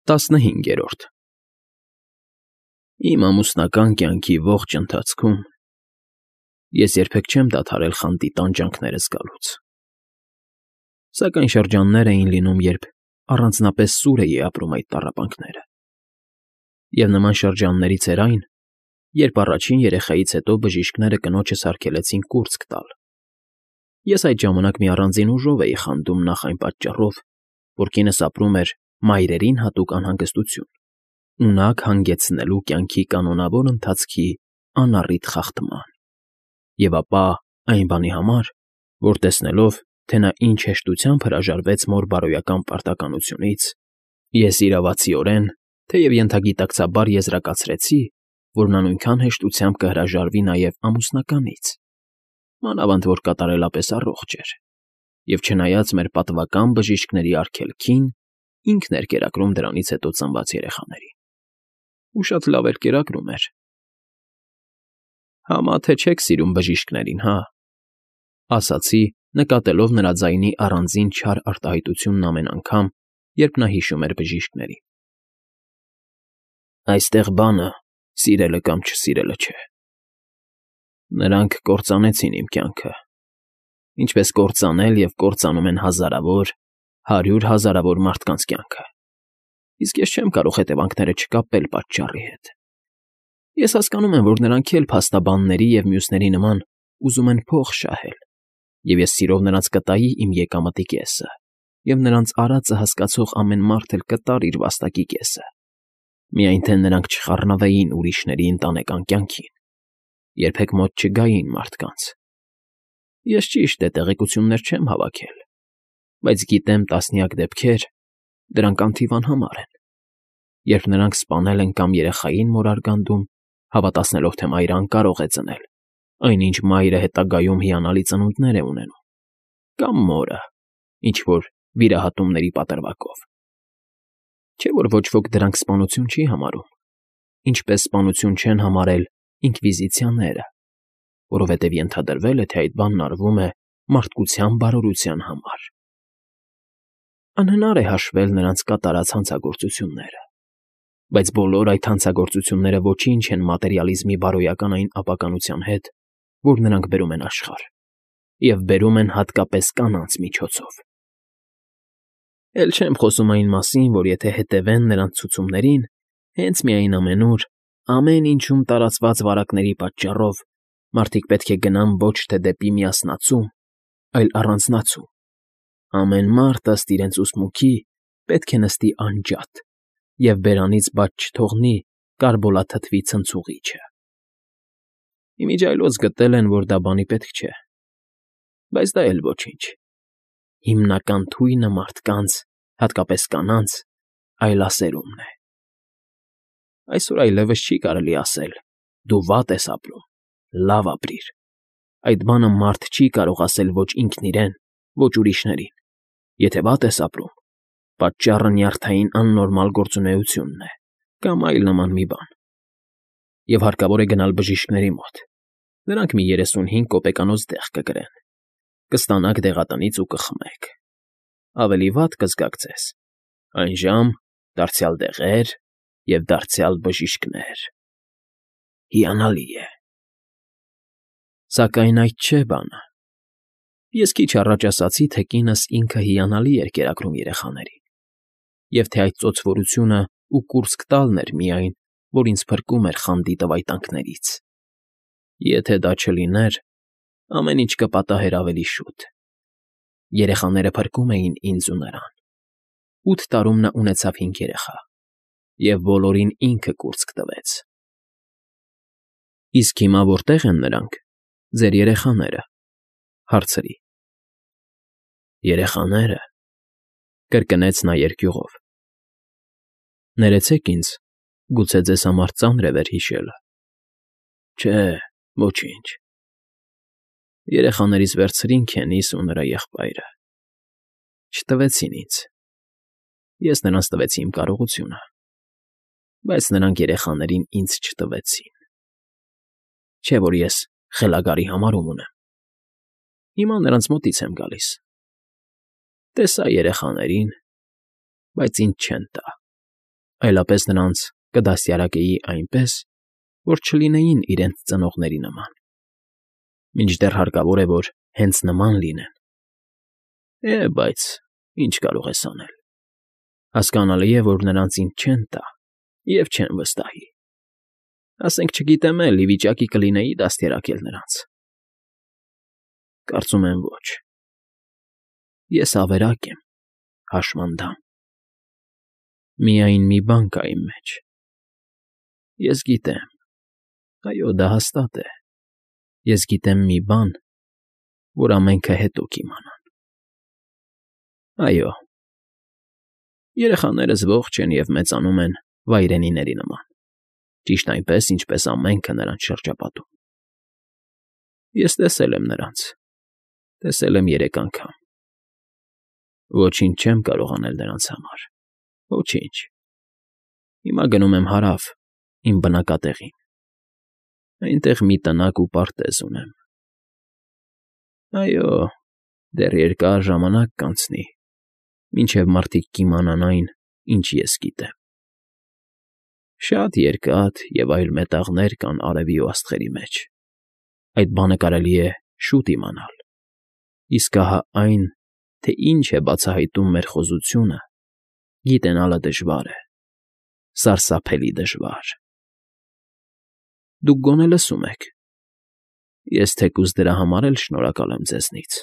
15 Իմ ամուսնական կյանքի ողջ ընթացքում ես երբեք չեմ դադարել խանդի տանջանքները զգալուց, սակայն շրջաններ էին լինում, երբ առանձնապես սուր էի ապրում այդ տառապանքները, և նման շրջաններից էր այն, երբ առաջին երեխայից հետո բժիշկները կնոջս արգելեցին կուրծք տալ. Ես այդ ժամանակ մի առանձին ուժով էի խանդում նախ այն պատճառով, որ կինս ապրում էր մայրերին հատուկ անհանգստություն, ունակ հանգեցնելու կյանքի կանոնավոր ընթացքի անառիթ խախտման, և ապա այն բանի համար, որ տեսնելով, թե նա ինչ հեշտությամբ հրաժարվեց մոր բարոյական պարտականությունից, ես իրավացիորեն, թեև ենթագիտակցաբար եզրակացրեցի, որ նա նույնքան հեշտությամբ կհրաժարվի նաև ամուսնականից, մանավանդ որ կատարելապես առողջ էր, և չնայած մեր պատվական բժիշկների արգելքին, ինքն էր կերակրում դրանից հետո ծնված երեխաներին, ու շատ լավ էր կերակրում էր։ «Համա թե չեք սիրում բժիշկներին, հա», ասացի, նկատելով նրա ձայնի առանձին չար արտահայտությունն ամեն անգամ, երբ նա հիշում էր բժիշկներին։ «Այստեղ բանը սիրելը կամ չսիրելը չէ. նրանք կործանեցին իմ կյանքը, ինչպես կործանել և կործանում են հազարավոր, 100 հազարավոր մարդկանց կյանքը, իսկ ես չեմ կարող հետևանքները չկապել պատճառի հետ։ Ես հասկանում եմ, որ նրանք էլ փաստաբանների և մյուսների նման ուզում են փող շահել, և ես սիրով նրանց կտայի իմ եկամտի կեսը, և նրանց արածը հասկացող ամեն մարդ էլ կտար իր վաստակի կեսը, միայն թե նրանք չխառնվեին ուրիշների ընտանեկան կյանքին, երբեք մոտ չգային մարդկանց։ Ես ճիշտ է տեղեկություններ չեմ հավաքել, բայց գիտեմ տասնյակ դեպքեր, դրանք անթիվ են, երբ նրանք սպանել են կամ երեխային մորարգանդում, հավատացնելով, թե մայրը անկարող է ծնել, այնինչ մայրը հետագայում հիանալի ծնունդներ է ունենում, կամ մորը, ինչ֊որ վիրահատումների պատրվակով։ Չէ՞ որ ոչ ոք դրանք սպանություն չի համարում, ինչպես սպանություն չեն համարել ինկվիզիցիաները, որովհետև ենթադրվել է, թե այդ բանն արվում է մարդկության բարօրության համար։ Անհնար է հաշվել նրանց կատարած հանցագործությունները, բայց բոլոր այդ հանցագործությունները ոչինչ են մատերիալիզմի բարոյական այն ապականության հետ, որ նրանք բերում են աշխարհ, և բերում են հատկապես կանանց միջոցով։ Էլ չեմ խոսում այն մասին, որ եթե հետևեն նրանց ցուցումներին, հենց մի այն ամենուր, ամեն ինչում տարածված վարակների պատճառով մարդիկ պետք է գնան ոչ թե դեպի միասնացում, այլ առանձնացում, ամեն մարդ ըստ իրենց ուսմունքի պետք է նստի անջատ և բերանից բաց չթողնի կարբոլաթթվի ցնցուղիչը։ Ի միջի այլոց գտել են, որ դա բանի պետք չէ, բայց դա էլ ոչինչ, հիմնական թույնը մարդկանց, հատկապես կանանց, այլասերումն է։ Այսօր այլևս չի կարելի ասել. «Դու վատ ես ապրում, լավ ապրիր»։ Այդ բանը մարդ չի կարող ասել ոչ ինքն իրեն, ոչ ուրիշներին։ Եթե վատ ես ապրում, պատճառը նյարդային աննորմալ գործունեությունն է կամ այլ նման մի բան։ Եվ հարկավոր է գնալ բժիշկների մոտ, նրանք մի 35 կոպեկանոց դեղ կգրեն, կստանաք դեղատնից ու կխմեք, ավելի վատ կզգաք ձեզ, այժմ դարձյալ դեղեր և դարձյալ բժիշկներ։ Հիանալի է։ Սակայն այդ չէ բանը։ Ես քիչ առաջ ասացի, թե կինս ինքը հիանալի էր կերակրում երեխաներին, և թե այդ ծոցվորությունն ու կուրծք տալն էր միայն, որ ինձ փրկում էր խանդի տվայտանքներից։ Եթե դա չլիներ, ամեն ինչ կպատահեր ավելի շուտ։ Երեխաները փրկում էին ինձ ու նրան։ 8 տարում նա ունեցավ 5 երեխա, և բոլորին ինքը կուրծք տվեց։ Իսկ հիմա որտե՞ղ են նրանք, ձեր երեխաները, հարցրի։ Երեխաները, կրկնեց նա երկյուղով։ Ներեցեք ինձ, գուցե ձեզ համար ծանր է վերհիշելը։ Չէ, ոչինչ։ Երեխաներիս վերցրին քենիս ու նրա եղբայրը։ Չտվեցին ինձ։ Ես նրանց տվեցի իմ կարողությունը, բայց նրանք երեխաներին ինձ չտվեցին։ Չէ՞ որ ես խելագարի համարում ունեմ։ Հիմա նրանց մոտից եմ գալիս։ Տեսա երեխաներին, բայց ինձ չեն տա։ այլապես նրանց կդաստիարակեի այնպես, որ չլինեին իրենց ծնողների նման, մինչդեռ հարկավոր է, որ հենց նման լինեն։ Բայց ինչ կարող ես անել։ Հասկանալի է, որ նրանց ինձ չեն տա և չեն վստահի։ Ասենք, չգիտեմ էլ, ի վիճակի կլինեի դաստիարակել նրանց։ Կարծում եմ ոչ։ Ես ավերակ եմ, հաշմանդամ։ Միայն մի բան կա իմ մեջ. ես գիտեմ, այո, դա հաստատ է, ես գիտեմ մի բան, որ ամենքը հետո կիմանան։ Այո, երեխաներս ողջ են և մեծանում են վայրենիների նման, ճիշտ այնպես, ինչպես ամենքը նրանց շրջապատում։ Ես տեսել եմ նրանց, տեսել եմ 3 անգամ։ Ոչինչ չեմ կարող անել նրանց համար, ոչինչ։ Հիմա գնում եմ հարավ, իմ բնակատեղին, այնտեղ մի տնակ ու պարտեզ ունեմ։ Այո, դեռ երկար ժամանակ կանցնի, մինչև մարդիկ կիմանան այն, ինչ ես գիտեմ։ Շատ երկաթ և այլ մետաղներ կան արևի ու աստղերի մեջ, այդ բանը կարելի է շուտ իմանալ, իսկ ահա այն, թե ինչ է բացահայտում մեր խոզությունը, գիտենալը դժվար է, սարսափելի դժվար։ Դուք գոնե լսում եք։ Ես թեկուզ դրա համար էլ շնորհակալ եմ ձեզնից։